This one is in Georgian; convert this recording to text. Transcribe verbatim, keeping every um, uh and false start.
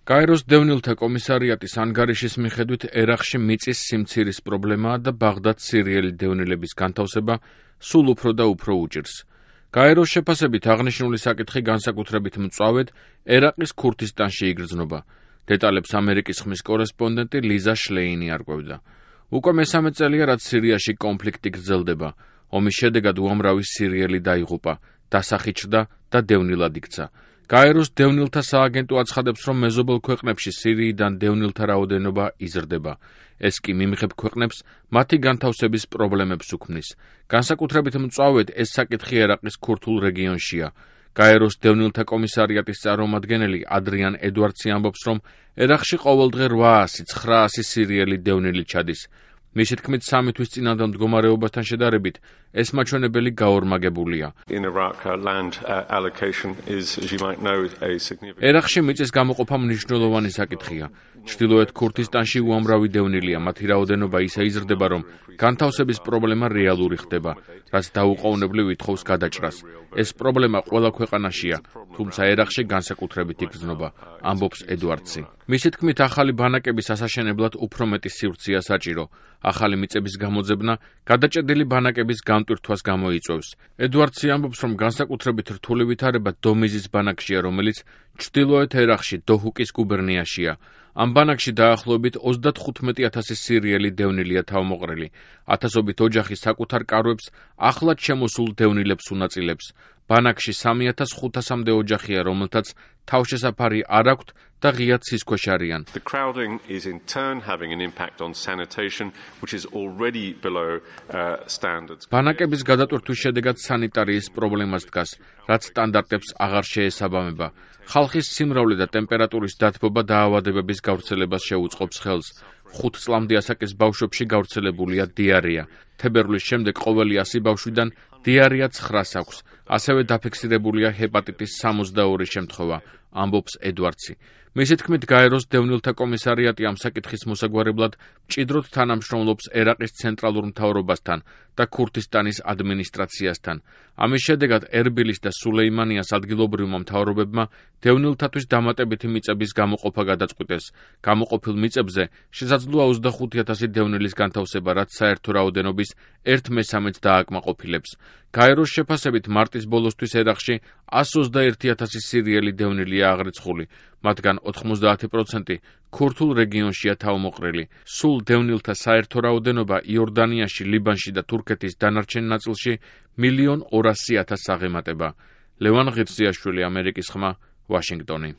გაეროს დევნილთა კომისარიატის ანგარიშის მიხედვით ერაყში მიწის სიმცირის პრობლემაა და ბაღდად სირიელი დევნილების განთავსება სულ უფრო და უფრო უჭირს. გაეროს შეფასებით აღნიშნული საკითხი განსაკუთრებით მწვავედ ერაყის ქურთისტანში იგრძნობა. დეტალებს ამერიკის ხმის კორესპონდენტი ლიზა შლეინი არკვევდა. უკვე მესამე წელია, რაც სირიაში კონფლიქტი გრძელდება. ომის შედეგად უამრავი სირიელი დაიღუპა, დასახიჩრდა და დევნილად იქცა. გაეროს დევნილთა სააგენტო აცხადებს, რომ მეზობელ ქვეყნებში სირიიდან დევნილთა რაოდენობა იზრდება. ეს კი მიმღებ ქვეყნებს მათი განთავსების პრობლემებს უქმნის. განსაკუთრებით მწვავედ ეს საკითხი ერაყის ქურთულ რეგიონშია. გაეროს დევნილთა კომისარიატის წარმომადგენელი ადრიან ედვარდსი ამბობს, რომ ერაყში ყოველდღე რვაასი ცხრაასი სირიელი დევნილი ჩადის. მისი თქმით, სამი თვის წინანდელ მდგომარეობასთან შედარებით ეს მაჩვენებელი გაორმაგებულია. ერაყში მიწის გამოყოფა მნიშვნელოვანი საკითხია. ჩრდილოეთ ქურთისტანში უამრავი დევნილია, მათი რაოდენობა ისე იზრდება, რომ განთავსების პრობლემა რეალური ხდება, რაც დაუყოვნებლივ ითხოვს გადაჭრას. ეს პრობლემა ყველა ქვეყანაშია, თუმცა ერაყში განსაკუთრებით იგრძნობა, ამბობს ედვარდსი. მისი თქმით, ახალი ბანაკების ასაშენებლად უფრო მეტი სივრცეა საჭირო. ახალი მიწების გამოძებნა გადაჭედილი ბანაკების გამტვირთვას გამოიწვევს. ედვარდსი ამბობს, რომ განსაკუთრებით რთული ვითარება დომიზის ბანაკშია, რომელიც ჩრდილოეთ ერაყში დოჰუკის გუბერნიაშია. ამ ბანაკში დაახლოებით ოცდათხუთმეტი ათასი სირიელი დევნილია თავმოყრილი. ათასობით ოჯახი საკუთარ კარვებს ახლად შემოსულ დევნილებს უნაწილებს. ბანაკში სამი ათას ხუთასამდე ოჯახია, რომელთაც თავშესაფარი არ აქვთ და ღიად ცისქვეშ არიან. ბანაკების გადატვირთვის შედეგად სანიტარიის პრობლემას დგას, რაც სტანდარტებს აღარ შეესაბამება. ხალხის სიმრავლე და ტემპერატურის დათბობა დაავადებების გავრცელებას შეუწყობს ხელს. ხუთ წლამდე ასაკის ბავშვებში გავრცელებულია დიარეა. თებერვლის შემდეგ ყოველი ასი ბავშვიდან დიარეა ცხრას აქვს. ასევე დაფიქსირებულია ჰეპატიტის სამოცდაორი შემთხვევა, ამბობს ედვარდსი. მისი თქმით, გაეროს დევნილთა კომისარიატი ამ საკითხის მოსაგვარებლად მჭიდროდ თანამშრომლობს ერაყის ცენტრალურ მთავრობასთან და ქურთისტანის ადმინისტრაციასთან. ამის შედეგად ერბილის და სულეიმანიას ადგილობრივმა მთავრობებმა დევნილთათვის დამატებითი მიწების გამოყოფა გადაწყვიტეს. გამოყოფილ მიწებზე შესაძლოა ოცდახუთი ათასი დევნილის განთავსება, რაც საერთო რაოდენობის ერთ მესამედ დააკმაყოფილებს. გაეროს შეფასებით მარტის ბოლოსთვის ერაყში ასი ოცდაერთი ათასი სირიელი დევნილია აღრიცხული, მათგან ოთხმოცდაათი პროცენტი ქურთულ რეგიონშია თავმოყრილი. სულ დევნილთა საერთო რაოდენობა იორდანიაში, ლიბანში და თურქეთის დანარჩენ ნაწილში მილიონ ორასი ათასს აღემატება. ლევან ღირსიაშვილი, ამერიკის ხმა, ვაშინგტონი.